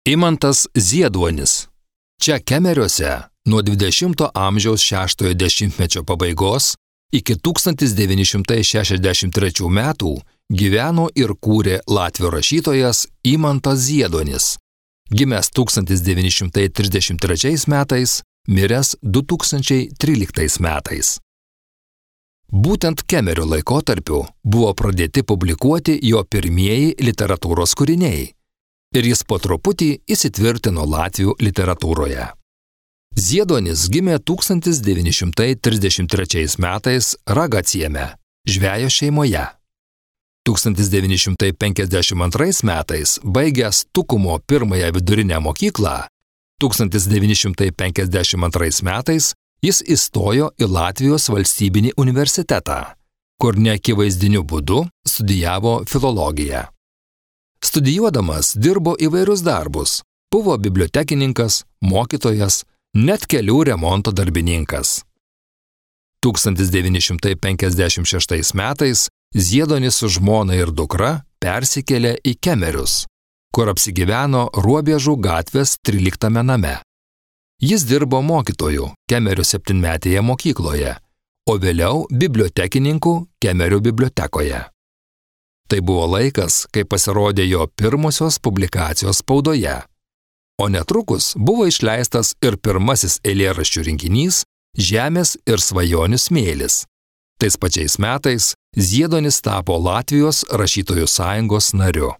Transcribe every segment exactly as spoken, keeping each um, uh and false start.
Imantas Zieduonis. Čia Kemeriuose nuo dvidešimto amžiaus šeštojo dešimtmečio pabaigos iki tūkstantis devyni šimtai šešiasdešimt trečių metų gyveno ir kūrė latvių rašytojas Imantas Zieduonis, gimęs tūkstantis devyni šimtai trisdešimt trečiais metais, miręs du tūkstančiai tryliktais metais. Būtent Kemerio laikotarpiu buvo pradėti publikuoti jo pirmieji literatūros kūriniai ir jis po truputį įsitvirtino latvių literatūroje. Zieduonis gimė tūkstantis devyni šimtai trisdešimt trečiais metais Ragacieme, žvejo šeimoje. tūkstantis devyni šimtai penkiasdešimt antrais metais baigęs Tukumo pirmąją vidurinę mokyklą, tūkstantis devyni šimtai penkiasdešimt antrais metais jis įstojo į Latvijos valstybinį universitetą, kur neakivaizdiniu būdu studijavo filologiją. Studijuodamas dirbo įvairius darbus, buvo bibliotekininkas, mokytojas, net kelių remonto darbininkas. tūkstantis devyni šimtai penkiasdešimt šeštais metais Zieduonis su žmona ir dukra persikėlė į Kemerius, kur apsigyveno Ruobiežų gatvės tryliktame name. Jis dirbo mokytoju Kemerių septynmetėje mokykloje, o vėliau bibliotekininku Kemerių bibliotekoje. Tai buvo laikas, kai pasirodė jo pirmosios publikacijos spaudoje, o netrukus buvo išleistas ir pirmasis eilėraščių rinkinys Žemės ir svajonių smėlis. Tais pačiais metais Zieduonis tapo Latvijos rašytojų sąjungos nariu.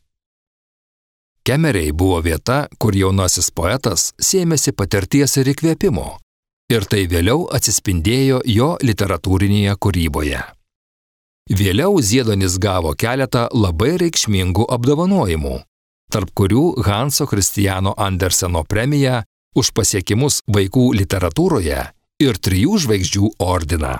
Kemeriai buvo vieta, kur jaunasis poetas sėmėsi patirties ir įkvėpimo, ir tai vėliau atsispindėjo jo literatūrinėje kūryboje. Vėliau Zieduonis gavo keletą labai reikšmingų apdovanojimų, tarp kurių Hanso Kristiano Anderseno premiją už pasiekimus vaikų literatūroje ir trijų žvaigždžių ordiną.